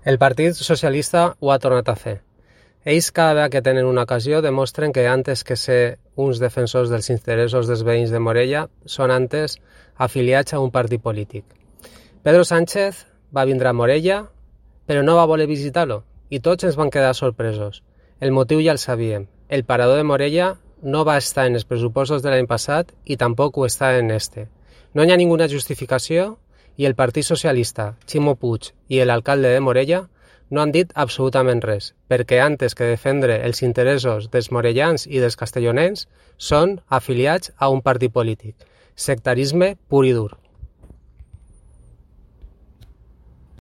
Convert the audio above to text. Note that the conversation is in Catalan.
El Partit Socialista ho ha tornat a fer. Ells cada vegada que tenen una ocasió demostren que antes que ser uns defensors dels interessos dels veïns de Morella són antes afiliats a un partit polític. Pedro Sánchez va vindre a Morella però no va voler visitar-lo i tots ens van quedar sorpresos. El motiu ja el sabíem. El parador de Morella no va estar en els pressupostos de l'any passat i tampoc ho està en este. No hi ha ninguna justificació i el Partit Socialista, Ximo Puig i l'alcalde de Morella no han dit absolutament res, perquè antes que defendre els interessos dels morellans i dels castellonencs són afiliats a un partit polític. Sectarisme pur i dur.